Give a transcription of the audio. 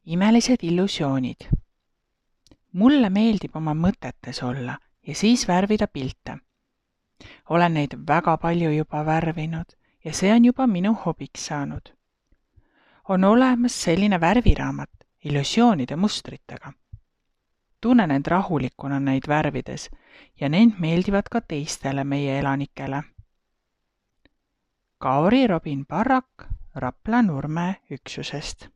Imelised illusioonid. Mulle meeldib oma mõtetes olla ja siis värvida pilte. Olen neid väga palju juba värvinud ja see on juba minu hobiks saanud. On olemas selline värviraamat illusioonide mustritega. Tunnen end rahulikuna neid värvides ja need meeldivad ka teistele meie elanikele. Kauri Robin Parrak Rapla Nurme üksusest.